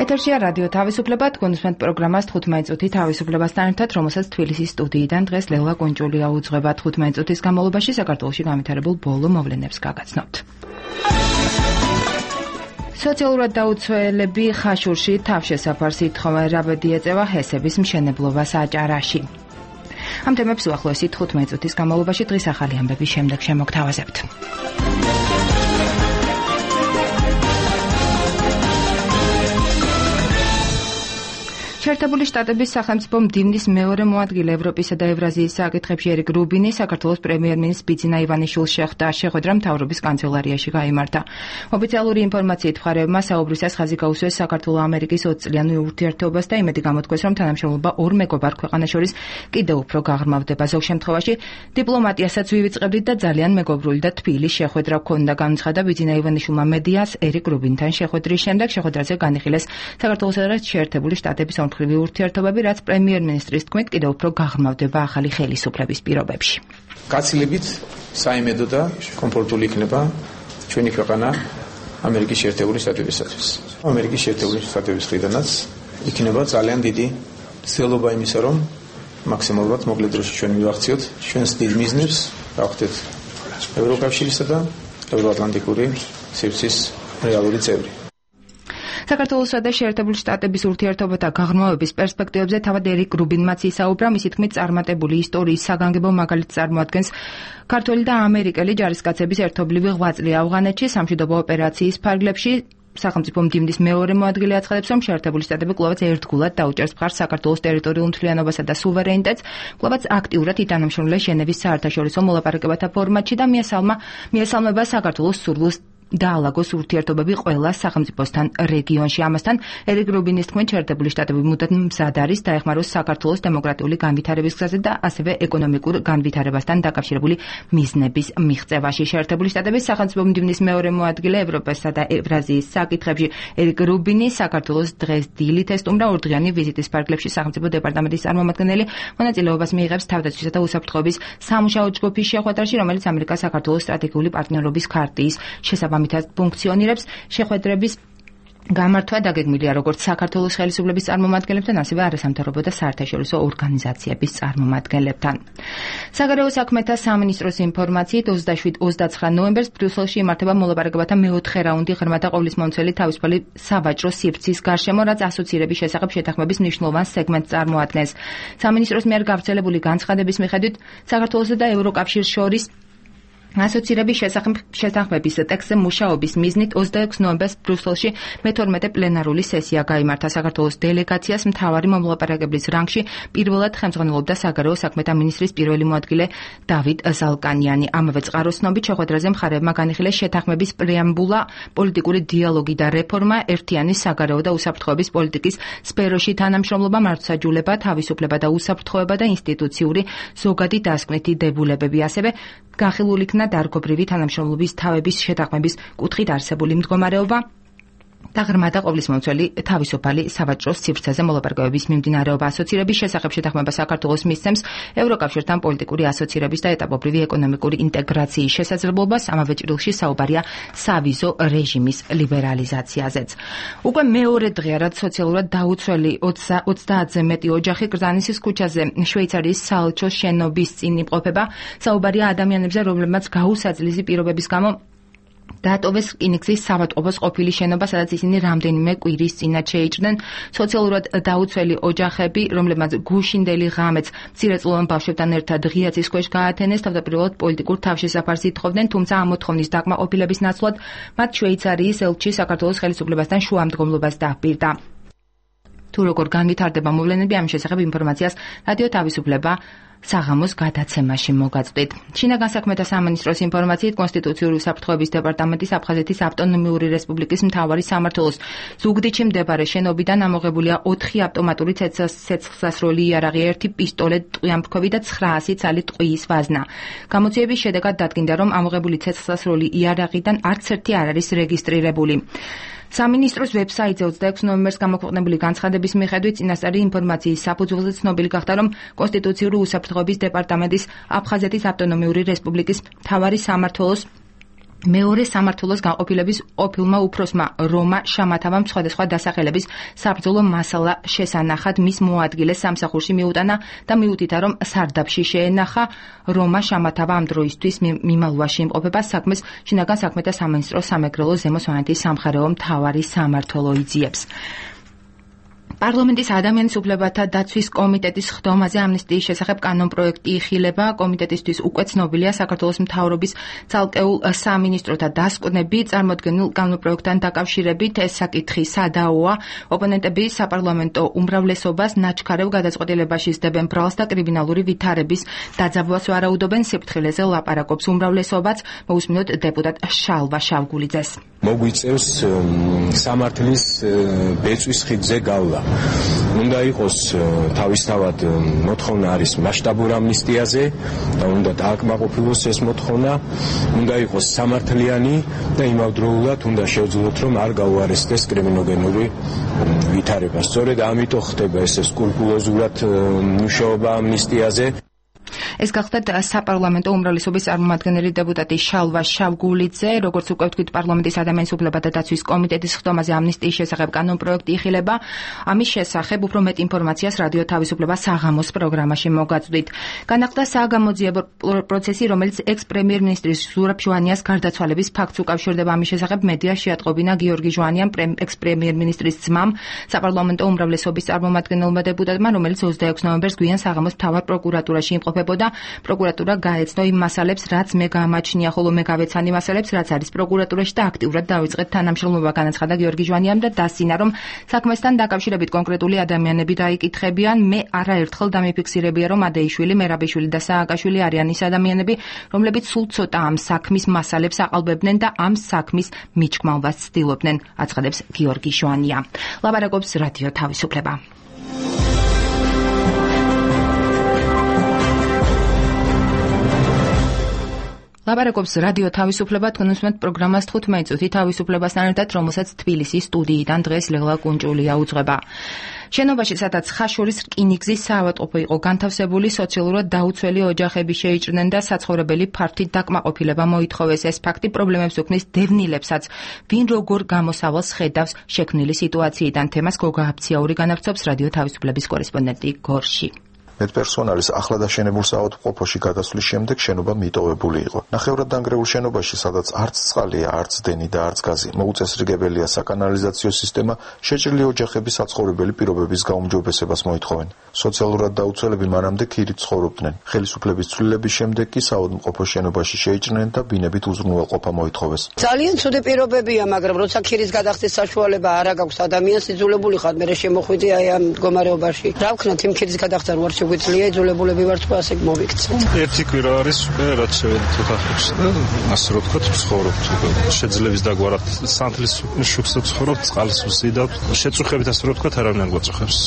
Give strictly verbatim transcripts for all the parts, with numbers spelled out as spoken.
ეთერშია რადიო თავისუფლება, თქვენსმენთ პროგრამას თხუთმეტი წუთი თავისუფლებასთან ერთად, რომელსაც თბილისის სტუდიიდან დღეს ლელა კუნჭულია უძღვება. თხუთმეტი წუთის განმავლობაში საქართველოში განვითარებულ ბოლო მოვლენებს გაგაცნობთ. სოციალურად დაუცველები ხაშურში თავშესაფარს ითხოვენ, რაბედი ეწევა ჰესების მშენებლობას აჭარაში. ამ თემებს უახლოესი თხუთმეტი წუთის განმავლობაში დღის ახალი ამბების შემდეგ შემოგთავაზებთ. შეერთებული შტატების სახელმწიფო მდივნის მეორე მოადგილე ევროპისა და ევრაზიის საკითხებში ერიკ რუბინი საქართველოს პრემიერ-მინისტრ ბიძინა ივანიშვილს შეხვდა. შეხვედრა მთავრობის კანცელარიაში გაიმართა. ოფიციალური ინფორმაციით მხარეებმა საუბრისას ხაზი გაუსვეს საქართველო-ამერიკის ოცწლიან ურთიერთობას და იმედი გამოთქვეს, რომ თანამშრომლობა ორ მეგობარ ქვეყანას შორის კიდევ უფრო გაღრმავდება. ზოგ შემთხვევაში დიპლომატიასაც ვივიწყებდით და ძალიან მეგობრული და თბილი შეხვედრა გქონდა, განცხადა ბიძინა ივანიშვილმა მედიას ერიკ რუბინთან შეხვედრის შემდეგ. შეხვედრაზე განიხილეს საქართველოსა და შეერთებული შტატების ორმხრივი ურთიერთობები, რაც პრემიერ-მინისტრის თქმით კიდევ უფრო გაღრმავდება ახალი ხელისუფლების პირობებში. გაცილებით საიმედო და კომფორტული იქნება ჩვენი ქვეყანა ამერიკის შეერთებული შტატებისათვის. ამერიკის შეერთებული შტატების მხრიდანაც იქნება ძალიან დიდი ცდილობა იმისა, რომ მაქსიმალურად მოკლე დროში ჩვენ მივახციოთ ჩვენს დიდ მიზნებს, გავხდეთ ევროკავშირისა და ევროატლანტიკური სივრცის რეალური წევრი. საქართველოსა და შეერთებული შტატების ურთიერთობათა გაღრმავების პერსპექტივებზე თავად ერიკ რუბინმაც ისაუბრა. მისი თქმით, წარმატებული ისტორიის საგანგებო მაგალითს წარმოადგენს ქართველი და ამერიკელი ჯარისკაცების ერთობლივი ღვაწლი ავღანეთში სამშვიდობო ოპერაციის ფარგლებში. სახელმწიფო მდივნის მეორე მოადგილე აცხადებს, რომ შეერთებული შტატები კვლავაც ერთგულად დაუჭერს მხარს საქართველოს ტერიტორიულ მთლიანობასა და სუვერენიტეტს, კვლავაც აქტიურად ითანამშრომლებს ჟენევის საერთაშორისო მოლაპარაკებათა ფორმატში და მიესალმება საქართველოს სურვილს დაალაგოს ურთიერთობები ყველა სახელმწიფოსთან რეგიონში. ამასთან ერიკ რუბინის თქმით, შეერთებული შტატები მუდამ მზად არის დაეხმაროს საქართველოს დემოკრატიული განვითარების გზაზე და ასევე ეკონომიკურ განვითარებასთან დაკავშირებული მიზნების მიღწევაში. შეერთებული შტატების სახელმწიფო მდივნის მეორე მოადგილე ევროპასა და ევრაზიის საკითხებში ერიკ რუბინი საქართველოს დღეს დილით ესტუმრა. ორდღიანი ვიზიტის ფარგლებში სახელმწიფო დეპარტამენტის წარმომადგენელი მონაწილეობას მიიღებს თავდაცვისა და უსაფრთხოების სამუშაო ჯგუფის შეხვედრაში, რომელიც ამერიკას საქართველოს სტრატეგიული პარტნიორობის ქარტიის შესაბამისად ფუნქციონირებს. შეხვედრების გამართვა დაგეგმილია როგორც საქართველოს ხელისუფლების წარმომადგენლებთან, ასევე არასამთავრობო და საერთაშორისო ორგანიზაციების წარმომადგენლებთან. საგარეო საქმეთა სამინისტროს ინფორმაციით ოცდაცხრა ნოემბერს ბრიუსელში იმართება მოლაპარაკებათა მეოთხე რაუნდი ღრმა და ყოვლისმომცველი თავისუფალი სავაჭრო სივრცის გარშემო, რაც ასოცირების შესახებ შეთანხმების მნიშვნელოვან სეგმენტს წარმოადგენს. სამინისტროს მიერ გავრცელებული განცხადების მიხედვით საქართველოსა და ევროკავშირს შორის ასოცირების შეთანხმების ტექსტზე მუშაობის მიზნით ოცდაექვსი ნოემბერს ბრიუსელში მეთორმეტე პლენარული სესია გაიმართა. საქართველოს დელეგაციას მთავარი მომლაპარაკებლის რანგში პირველად ხელმძღვანელობდა საგარეო საქმეთა მინისტრის პირველი მოადგილე დავით ზალკანიანი. ამავე წყაროს ცნობით შეხვედრაზე მხარეებმა განიხილეს შეთანხმების პრეამბულა, პოლიტიკური დიალოგი და რეფორმა, ერთიანი საგარეო და უსაფრთხოების პოლიტიკის სფეროში თანამშრომლობა, მართლმსაჯულება, თავისუფლება და უსაფრთხოება და ინსტიტუციური ზოგადი დასკვნითი დებულებები. ასევე განხილული იქნა დარგობრივი თანამშრომლობის თავების შეთანხმების კუთხით არსებული მდგომარეობა და ღრმა და ყოვლისმომცველი თავისუფალი სავაჭრო სივრცეზე მოლაპარაკებების მიმდინარეობა. ასოცირების შესახებ შეთანხმება საქართველოს მისცემს ევროკავშირთან პოლიტიკური ასოცირების და ეტაპობრივი ეკონომიკური ინტეგრაციის შესაძლებლობას. ამავე ჭრილში საუბარია სავიზო რეჟიმის ლიბერალიზაციაზეც. უკვე მეორე დღეა, რაც სოციალურად დაუცველი ოცდაათზე მეტი ოჯახი გრძანისის ქუჩაზე შვეიცარიის საელჩოს შენობის წინ იმყოფება. საუბარია ადამიანებზე, რომლებმაც გაუსაძლისი პირობების გამო დაატოვეს რკინიგზის საავადმყოფოს ყოფილი შენობა, სადაც ისინი რამდენიმე კვირის წინათ შეიჭრნენ. სოციალურად დაუცველი ოჯახები, რომლებმაც გუშინდელი ღამეც მცირეწლოვან ბავშვებთან ერთად ღია ცის ქვეშ გაათენეს, თავდაპირველად პოლიტიკურ თავშესაფარს ითხოვდნენ, თუმცა ამ მოთხოვნის დაკმაყოფილების ნაცვლად მათ შვეიცარიის ელჩი საქართველოს ხელისუფლებასთან შუამდგომლობას დაჰპირდა. თუ როგორ განვითარდება მოვლენები, ამ შესახებ ინფორმაციას რადიო თავისუფლება საღამოს გადაცემაში მოგაწვდით. შინაგან საქმეთა სამინისტროს ინფორმაციით კონსტიტუციური უსაფრთხოების დეპარტამენტის აფხაზეთის ავტონომიური რესპუბლიკის მთავარი სამმართველოს ზუგდიდში მდებარე შენობიდან ამოღებულია ოთხი ავტომატური ცეცხლსასროლი იარაღი, ერთი პისტოლე, ტყვიამფრქვევი და ცხრაასი ცალი ტყვიის ვაზნა. გამოძიების შედეგად დადგინდა, რომ ამოღებული ცეცხლსასროლი იარაღიდან არც ერთი არ არის რეგისტრირებული. სამინისტროს ვებსაიტზე ოცდაექვსი ნოემბერს გამოქვეყნებული განცხადების მიხედვით წინასწარი ინფორმაციის საფუძველზე ცნობილი გახდა, რომ კონსტიტუციური უსაფრთხოების დეპარტამენტის აფხაზეთის ავტონომიური რესპუბლიკის მთავარი სამმართველოს მეორე სამმართველოს განყოფილების ყოფილმა უფროსმა რომა შამათავამ სხვადასხვა დასახელების საბრძოლო მასალა შესანახად მის მოადგილეს სამსახურში მიუტანა და მიუთითა, რომ სარდაფში შეენახა. რომა შამათავა ამ დროისთვის მიმალვაში იმყოფება საქმეს შინაგან საქმეთა სამინისტრო სამეგრელო ზემო სვანეთის სამხარეო მთავარი სამმართველო იძიებს. პარლამენტის ადამიანის უფლებათა დაცვის კომიტეტის ხდომაზე ამნისტიის შესახებ კანონპროექტი იხილება. კომიტეტისთვის უკვე ცნობილია საქართველოს მთავრობის ცალკეულ სამინისტროთა დასკვნები წარმოდგენილ კანონპროექტთან დაკავშირებით. ეს საკითხი სადაოა. ოპონენტები საპარლამენტო უმრავლესობას ნაჩქარევ გადაწყვეტილებაში სდებენ ბრალს და კრიმინალური ვითარების დაძაბვას ვარაუდობენ. სიფრთხილეზე ლაპარაკობს უმრავლესობაც. მოусმინოთ დეპუტატ შალვა შავგულიძეს. მოგვიწევს სამართლის ბეწვის ხიდზე გავლა. უნდა იყოს თავისთავად მოთხოვნა არის მასშტაბურ ამნისტიაზე და უნდა დააკმაყოფილოს ეს მოთხოვნა. უნდა იყოს სამართლიანი და იმავდროულად უნდა შევძლოთ, რომ არ გაუარესდეს კრიმინოგენური ვითარება. სწორედ ამიტომ ხდება ეს სკრუპულოზურად მუშაობა ამნისტიაზე. ეს გახლდათ საპარლამენტო უმრავლესობის წარმომადგენელი დეპუტატი შალვა შავგულიძე. როგორც უკვე ვთქვით, პარლამენტის ადამიანის უფლებათა დაცვის კომიტეტის ხდომაზე ამნისტიის შესახებ კანონპროექტი იხილება. ამის შესახებ უფრო მეტ ინფორმაციას რადიო თავისუფლება საღამოს პროგრამაში მოგაწვდით. განახლდა საგამოძიებო პროცესი, რომელიც ექს-პრემიერ-მინისტრის ზურაბ ჟვანიას გარდაცვალების ფაქტს უკავშირდება. ამის შესახებ მედიაში ატყობინა გიორგი ჟვანიამ, ექს-პრემიერ-მინისტრის ძმამ, საპარლამენტო უმრავლესობის წარმომადგენელმა დეპუტატმა, რომელიც ოცდაექვსი ნოემბერს გვიან საღამოს მთავარ პროკურატურაში იმყოფებოდა. პროკურატურა გაეცნო იმ მასალებს, რაც მე გამაჩნია, ხოლო მე გავეცანი მასალებს, რაც არის პროკურატურაში და აქტიურად დავიწყეთ თანამშრომლობა, განაცხადა გიორგი ჟვანიამ და დასცინა, რომ საქმესთან დაკავშირებით კონკრეტული ადამიანები დაიკითხებიან. მე არაერთხელ დამიფიქსირებია, რომ ადეიშვილი, მერაბიშვილი და სააკაშვილი არიან ის ადამიანები, რომლებიც სულ ცოტა ამ საქმის მასალებს აყალბებდნენ და ამ საქმის მიჭკმავას ცდილობდნენ, აცხადებს გიორგი ჟვანია. ლაპარაკობს რადიო თავისუფლება. ლაპარაკობს რადიო თავისუფლება. თქვენ უსმენთ პროგრამას თხუთმეტი წუთი თავისუფლებასთან ერთად, რომელსაც თბილისის სტუდიიდან დღეს ლელა კუნჭულია უძღვება. შენობაში, სადაც ხაშურის რკინიგზის საავადმყოფო იყო განთავსებული, სოციალურად დაუცველი ოჯახები შეიჭრნენ და საცხოვრებელი ფართით დაკმაყოფილება მოითხოვეს. ეს ფაქტი პრობლემებს უქმნის დევნილებსაც, ვინ როგორ გამოსავალს ხედავს შექმნილი სიტუაციიდან. თემას გოგა აფციაური განავრცობს რადიო თავისუფლების კორესპონდენტი გორში. მედპერსონალის ახლად აშენებულ საავადმყოფოში გადასვლის შემდეგ შენობა მიტოვებული იყო. ნახევრად დანგრეულ შენობაში, სადაც არც წყალია, არც დენი და არც გაზი, მოუწესრიგებელია საკანალიზაციო სისტემა, შეჭრილი ოჯახები საცხოვრებელი პირობების გაუმჯობესებას მოითხოვენ. სოციალურად დაუცველები მანამდე ქირით ცხოვრობდნენ. ხელისუფლების ცვლილების შემდეგ კი საავადმყოფო შენობაში შეიჭრნენ და ბინებით უზრუნველყოფა მოითხოვეს. ძალიან ცუდი პირობებია, მაგრამ როცა ქირის გადახდის საშუალება არ აქვს ადამიანს, იძულებული ხარ მე შემოხვიდე აი ამ მდგომარეობაში. რა ვქნათ იმ ქირის გადახდა რო არ შეგვიძლია იძულებულები ვართ ხო ასე მოვიქცე. ერთი კვირა არის უკვე რაც შევედით ოთახებში და ასე რომ ვთქვათ ვცხოვრობთ. შეძლების დაგვარად სანთლის შუქს ვცხოვრობთ, წყალს ვზიდავთ. შეწუხებით ასე რომ ვთქვათ არავინ არ გვაწუხებს.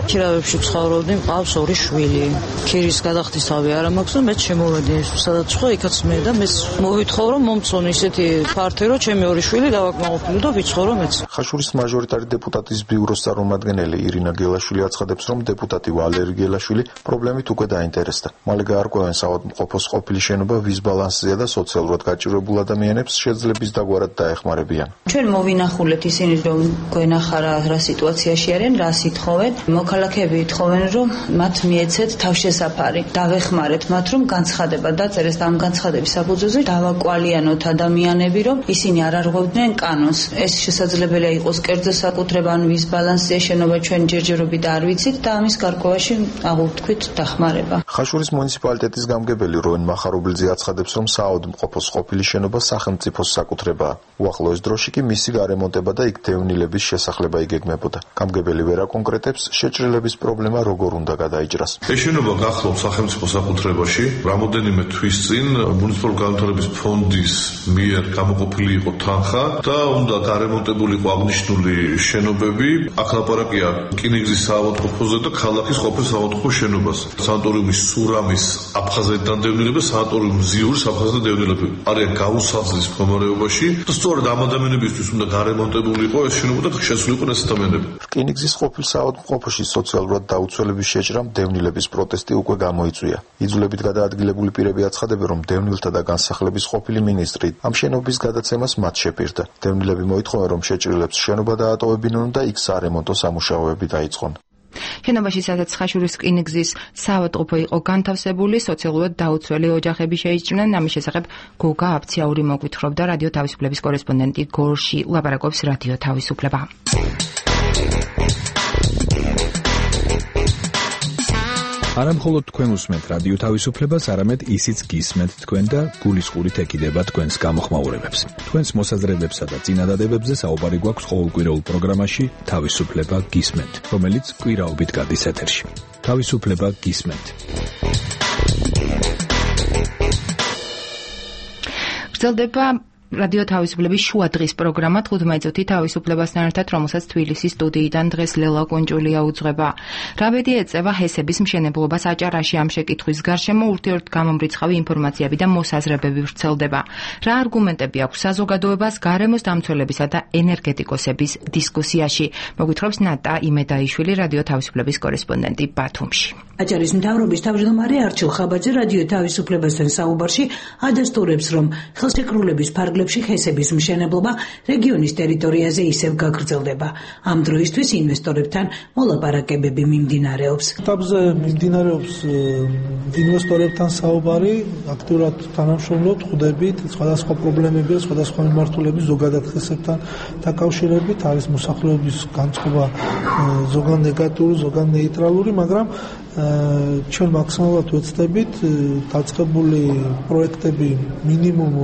ქირავებში ვცხოვრობდი, მყავს ორი შვილი. ქირის გადახდის თავი არ მაქვს და მეც შემოვედი სადაც ხო იქაც მე და მეც მოვითხოვ რომ მომწონ ისეთი ფართე რომ ჩემი ორი შვილი დავაკმაყოფილო და ვიცხოვრო მეც. ხაშურის მაჟორიტარი დეპუტატის ბიუროს წარმომადგენელი ირინა გელაშვილი აცხადებს, რომ დეპუტატი ვალერი გელაშვილი პრობლემით უკვე დაინტერესდა. მალე გაარკვევენ საავადმყოფოს ყოფილი შენობა ვის ბალანსზეა და სოციალურად გაჭირვებულ ადამიანებს შეძლების დაგვარად დაეხმარებიან. ჩვენ მოვინახულეთ ისინი რომ გვენახა რა სიტუაციაში არიან, რა სითხოვენ. მოქალაქეები ითხოვენ რომ მათ მიეცეთ თავშესაფარი. დავეხმარეთ მათ რომ განცხადება დაწერეს და ამ განცხადების საფუძველზე დავაკვალიანოთ ადამიანები რომ ისინი არ არღვევდნენ კანონს. ეს შესაძლებელია იყოს კერძო საკუთრება ან ვის ბალანსზეა შენობა ჩვენ ჯერჯერობით არ ვიცით და ამის გარკვევაში აღუთქვით დახმარება. ხაშურის მუნიციპალიტეტის გამგებელი როენ მახარობლიძე აცხადებს, რომ საავადმყოფოს ყოფილი შენობა სახელმწიფოს საკუთრებაა. უახლოეს დროში კი მისი გარემონტება და იქ დევნილების შესახლება იგეგმებოდა. გამგებელი ვერ აკონკრეტებს შეჭრილების პრობლემა როგორ უნდა გადაიჭრას. ეს შენობა გახლობს სახელმწიფო საკუთრებაში. რამოდენიმე თვის წინ მუნიციპალური განვითარების ფონდის მიერ გამოყოფილი იყო თანხა და უნდა გარემონტებული იყო აღნიშნული შენობები. აქ ლაპარაკია რკინიგზის საავადმყოფოზე და ქალაქის ყოფილ საავადმყოფოს შენობას. სანატორიუმის სურამის აფხაზეთიდან დევნილები, სანატორიუმის ზიურის აფხაზეთიდან დევნილები არიან გაუსაძლის მდგომარეობაში და სწორედ ამ ადამიანებისთვის უნდა გარემონტებული იყო ეს შენობა და შესული იყო ეს ადამიანები. რკინიგზის ყოფილ საავადმყოფოში სოციალურად დაუცველების შეჭრამ დევნილების პროტესტი უკვე გამოიწვია. იძულებით გადაადგილებული პირები აცხადებენ, რომ დევნილთა და განსახლების ყოფილი მინისტრი ამ შენობის გადაცემას მათ შეპირდა. დევნილები მოითხოვენ, რომ შეჭრილებს შენობა დაატოვებინონ და იქ სარემონტო სამუშაოები დაიწყონ. შენობაში, სადაც ხაშურის რკინიგზის საავადმყოფო იყო განთავსებული, სოციალურად დაუცველი ოჯახები შეიჭრნენ. ამის შესახებ გოგა აფციაური მოგვითხრობდა რადიო თავისუფლების კორესპონდენტი გორში. ლაპარაკობს რადიო თავისუფლება. არა მხოლოდ თქვენ უსმენთ რადიო თავისუფლებას, არამედ ისიც გისმენთ თქვენ და გულისყურით ეკიდება თქვენს გამოხმაურებებს. თქვენს მოსაზრებებსა და წინადადებებზე საუბარი გვაქვს ყოველკვირეულ პროგრამაში თავისუფლება გისმენთ, რომელიც კვირაობით გადის ეთერში. თავისუფლება გისმენთ. გრძელდება რადიო თავისუფლების შუა დღის პროგრამა თხუთმეტი წუთი თავისუფლებასთან ერთად, რომელსაც თბილისის სტუდიიდან დღეს ლელა კუნჭულია უძღვება. რა ბედი ეწევა ჰესების მშენებლობას აჭარაში? ამ შეკითხვის გარშემო ურთიერთგამომრიცხავი ინფორმაციები და მოსაზრებები ვრცელდება. რა არგუმენტები აქვს საზოგადოებას გარემოს დამცველებისა და ენერგეტიკოსების დისკუსიაში? მოგვითხრობს ნატა იმედაიშვილი, რადიო თავისუფლების კორესპონდენტი ბათუმში. აჭარის მთავრობის თავმჯდომარე არჩილ ხაბაძე რადიო თავისუფლებასთან საუბარში ადასტურებს, რომ ხელშეკრულების ფარგლებში ჰესების მშენებლობა რეგიონის ტერიტორიაზე ისევ გაგრძელდება. ამ დროისთვის ინვესტორებთან მოლაპარაკებები მიმდინარეობს. ეტაპზე მიმდინარეობს ინვესტორებთან საუბარი, აქტიურად თანამშრომლობთ, ხვდებით სხვადასხვა პრობლემები, სხვადასხვა მიმართულების ზოგადად ჰესებთან დაკავშირებით, არის მოსახლეობის განწყობა ზოგან ნეგატიური, ზოგან ნეიტრალური, მაგრამ ჩვენ მაქსიმალურად ვეცდებით დაწყებული პროექტები მინიმუმ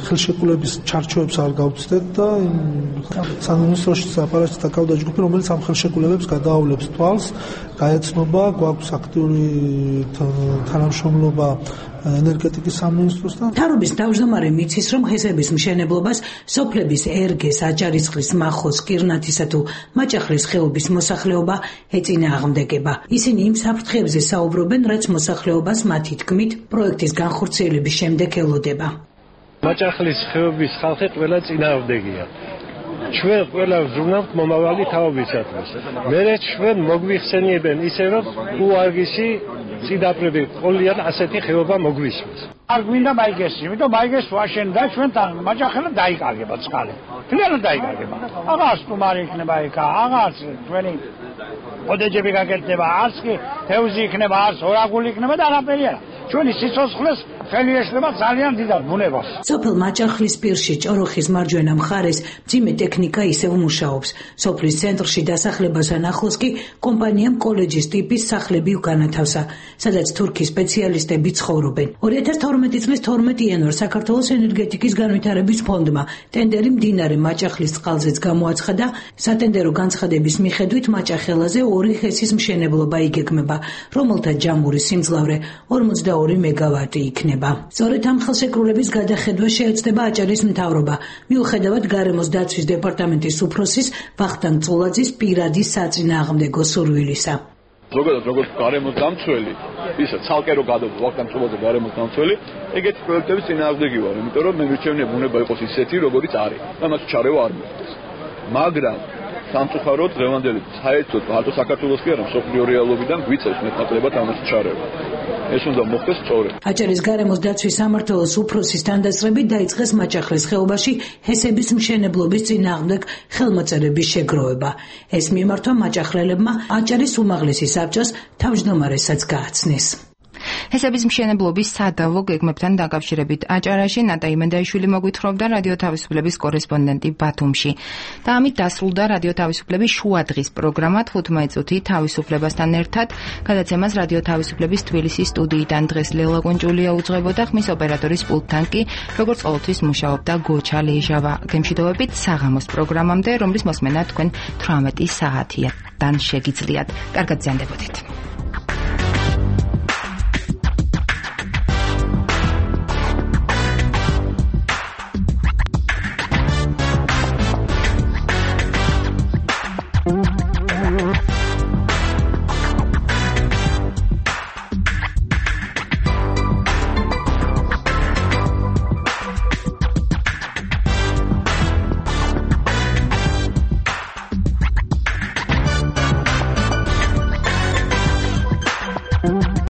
ხელშეკრულების ჩარჩოებს არ გავცდეთ და სამინისტროში საპარაჩის დაკავდა ჯგუფი, რომელიც ამ ხელშეკრულებებს გადაავლებს თვალს, გაეცნობა, გვაქვს აქტიური თანამშრომლობა ენერგეტიკის სამინისტროსთან. მთავრობის თავმჯდომარე მიცის, რომ ჰესების მშენებლობას სოფლების ერგეს, აჭარისწყლის, მახოს, კირნათისა თუ მაჭახლის ხეობის მოსახლეობა ეწინააღმდეგება. ისინი იმ საფრთხეებზე საუბრობენ, რაც მოსახლეობას მათი თქმით პროექტის განხორციელების შემდეგ ელოდება. მაჭახლის ხეობის ხალხი ყველა წინააღმდეგია. ჩვენ ყველა ვზრუნავთ მომავალი თაობისათვის. მერე ჩვენ მოგვიხსენიებენ ისე, რომ უარგისი წინაპრები ყოლიან ასეთი ხეობა მოგვისმის. არ გვინდა მაიგესი, იმიტომ მაიგეს ვაშენდა ჩვენთან მაჭახელა დაიკარგება წყალი. თლიანად დაიკარგება. აღარ სტუმარი იქნება იქა, აღარ ჩვენი ოდეჯები გაკეთდება, არც კი თევზი იქნება, არც ორაგული იქნება და არაფერი არა. ჩვენი სიცოცხლეს ხელი ეშლება ძალიან დიდად ბუნებას. სოფელ მაჭახლის პირში ჭოროხის მარჯვენა მხარეს მძიმე ტექნიკა ისევ მუშაობს. სოფლის ცენტრში დასახლებასთან ახლოს კი კომპანიამ კოლეჯის ტიპის სახლები უკანათავსა, სადაც თურქი სპეციალისტები ცხოვრობენ. ორი ათას თორმეტი წლის თორმეტი იანვარს საქართველოს ენერგეტიკის განვითარების ფონდმა ტენდერი მდინარე მაჭახლის წყალზეც გამოაცხადა. სატენდერო განცხადების მიხედვით მაჭახელაზე ორი ჰესის მშენებლობა იგეგმება, რომელთა ჯამური სიმძლავრე ორმოცდაორი მეგავატი იქნება. სწორედ ამ ხელშეკრულების გადახედვა შეეცდება აჭარის მთავრობა, მიუხედავად გარემოს დაცვის დეპარტამენტის უფროსის ვახტანგ წულაძის პირადი საწინააღმდეგო სურვილისა. ზოგადად როგორც გარემოს დამცველი, ისა ცალკე რო გადავდა ვახტანგ წულაძე გარემოს დამცველი, ეგეთი პროექტების წინააღმდეგი ვარ, იმიტომ რომ მე მირჩევნია ბუნება იყოს ისეთი, როგორიც არის და მას ჩარევა არ მოხდეს. მაგრამ სამწუხაროდ დღევანდელი საერთოდ მარტო საქართველოს კი არა, მსოფლიო რეალობიდან გვიწევს მეტნაკლებად ამას ჩარევა. ეს უნდა მოხდეს სწორედ. აჭარის გარემოს დაცვის სამმართველოს უფროსის თანდასწრებით დაიწყეს მაჭახლის ხეობაში ჰესების მშენებლობის წინააღმდეგ ხელმოწერების შეგროვება. ეს მიმართვა მაჭახლელებმა აჭარის უმაღლესი საბჭოს თავმჯდომარესაც გააცნეს. ჰესების მშენებლობის სადავო გეგმებთან დაკავშირებით აჭარაში ნატა იმედაიშვილი მოგვითხრობდა რადიო თავისუფლების კორესპონდენტი ბათუმში. და ამით დასრულდა რადიო თავისუფლების შუა დღის პროგრამა თხუთმეტი წუთი თავისუფლებასთან ერთად. გადაცემას რადიო თავისუფლების თბილისის სტუდიიდან დღეს ლელა კუნჭულია უძღვებოდა, ხმის ოპერატორის პულტთან კი როგორც ყოველთვის მუშაობდა გოჩა ლეჟავა. გემშვიდობებით საღამოს პროგრამამდე, რომლის მოსმენა თქვენ თვრამეტი საათიდან შეგიძლიათ. კარგად ზიანდებოდით.